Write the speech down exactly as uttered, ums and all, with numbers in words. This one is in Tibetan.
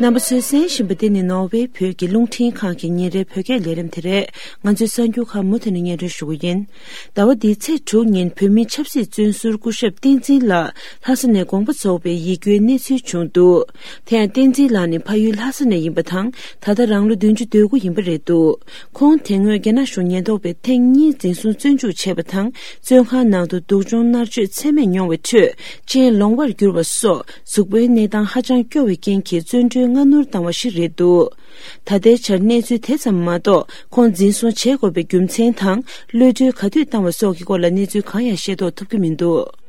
རྣམ་པ་ཚོས་གསན་བཞིན་པ་འདི་ནི་ནོར་ཝེ་བོད་ཀྱི་རླུང་འཕྲིན་ཁང་གི་ཉིན་རེའི་བོད་སྐད་ལས་རིམ་དེ་རེད། ང་ཚོས་གསར་འགྱུར་ཁག་མུ་མཐུད་ནས་སྙན་སྒྲོན་ཞུ་གི་ཡིན། ཟླ་བ་འདིའི་ཚེས་དྲུག་ཉིན་བོད་མིའི་ཆབ་སྲིད་བཙོན་ཟུར་སྐུ་ཞབས་བསྟན་འཛིན་ལགས་ལྷ་ས་ནས་དགོངས་པ་རྫོགས་པའི་ཡིད་སྐྱོའི་གནས་ཚུལ་བྱུང་འདུག་དེ་ཡང་བསྟན་འཛིན་ལགས་ནི་ཕ་ཡུལ་ལྷ་ས་ནས་ཡིན་པ་དང་། ད་ལྟ་རང་ལོ་བདུན་ཅུ་དོན་དགུ་ཡིན་པ་རེད་འདུག་ཁོང་དེ་སྔོན་རྒྱ་ནག་གཞུང་ཉེན་རྟོག་པས་ཐེངས་གཉིས་འཛིན་བཟུང་བཙོན་འཇུག་བྱས་པ་དང་། བཙོན་ཁང་ནང་དུ་སྡུག་སྦྱོང་མནར་གཅོད་ཚད་མེད་མྱོང་བའི་ཁྲོད་སྤྱན་ལོང་བར་གྱུར་བ་སོགས་གཟུགས་པོའི་གནས་སྟངས་ཧ་ཅང་སྐྱོ་བའི་རྐྱེན་གྱིས་བཙོན་གྲོལ་སྔ་སྣུར་བཏང་བ་ཞིག་རེད་འདུག་ད་ལྟའི་ཆར་གནས་ཚུལ་དེ་ཙམ་མ་གཏོགས་ཁོང་འཛིན་བཟུང་བྱེད་དགོས་པའི་རྒྱུ་མཚན་དང་གློད་གྲོལ་ག་དུས་བཏང་བ་སོགས་ཀྱི་སྐོར་ལ་གནས་ཚུལ་གང་ཡང་ཤེས་རྟོགས་ཐུབ་ཀྱི་མི་འདུག